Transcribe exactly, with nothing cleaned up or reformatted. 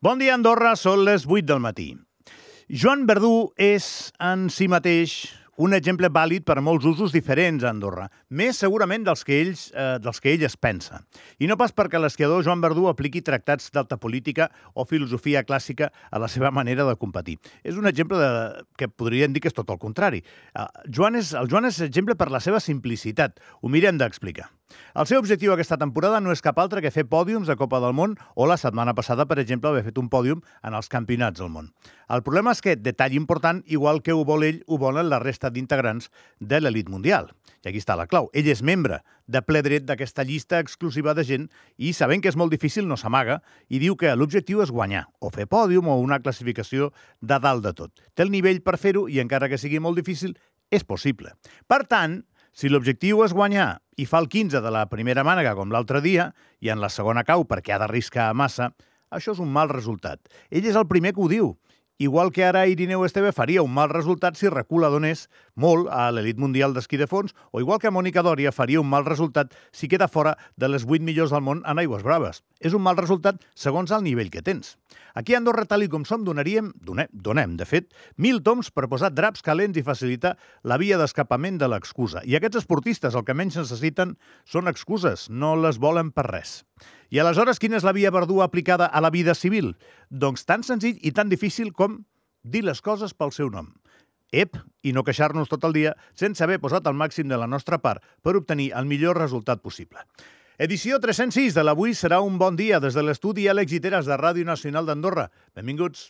Bon dia, Andorra, són les vuit del matí. Joan Verdú és, en si mateix, un exemple vàlid per a molts usos diferents a Andorra, més segurament dels que, ells, eh, dels que ell es pensa. I no pas perquè l'esquiador Joan Verdú apliqui tractats d'alta política o filosofia clàssica a la seva manera de competir. És un exemple de, que podríem dir que és tot el contrari. Eh, Joan és, el Joan és exemple per la seva simplicitat. Ho mirem d'explicar. El seu objectiu aquesta temporada no és cap altre que fer pòdiums de Copa del Món o la setmana passada, per exemple, haver fet un pòdium en els campionats del món. El problema és que, detall important, igual que ho vol ell, ho volen la resta d'integrants de l'elit mundial. I aquí està la clau. Ell és membre de ple dret d'aquesta llista exclusiva de gent i, sabent que és molt difícil, no s'amaga i diu que l'objectiu és guanyar, o fer pòdium o una classificació de dalt de tot. Té el nivell per fer-ho i, encara que sigui molt difícil, és possible. Per tant, si l'objectiu és guanyar i fa el quinze de la primera mànega com l'altre dia i en la segona cau perquè ha d'arriscar massa, això és un mal resultat. Ell és el primer que ho diu. Igual que ara Irineu Esteve faria un mal resultat si recula donés molt a l'elit mundial d'esquí de fons, o igual que Mònica Dòria faria un mal resultat si queda fora de les vuit millors del món en aigües braves. És un mal resultat segons el nivell que tens. Aquí a Andorra, tal i com som, donaríem, donem, donem, de fet, mil toms per posar draps calents i facilitar la via d'escapament de l'excusa. I aquests esportistes el que menys necessiten són excuses, no les volen per res. I aleshores, quina és la via Verdú aplicada a la vida civil? Doncs tan senzill i tan difícil com dir les coses pel seu nom. Ep, i no queixar-nos tot el dia sense haver posat el màxim de la nostra part per obtenir el millor resultat possible. Edició tres-cents sis de l'Avui serà un bon dia des de l'estudi Àlex Guiteras de Ràdio Nacional d'Andorra. Benvinguts.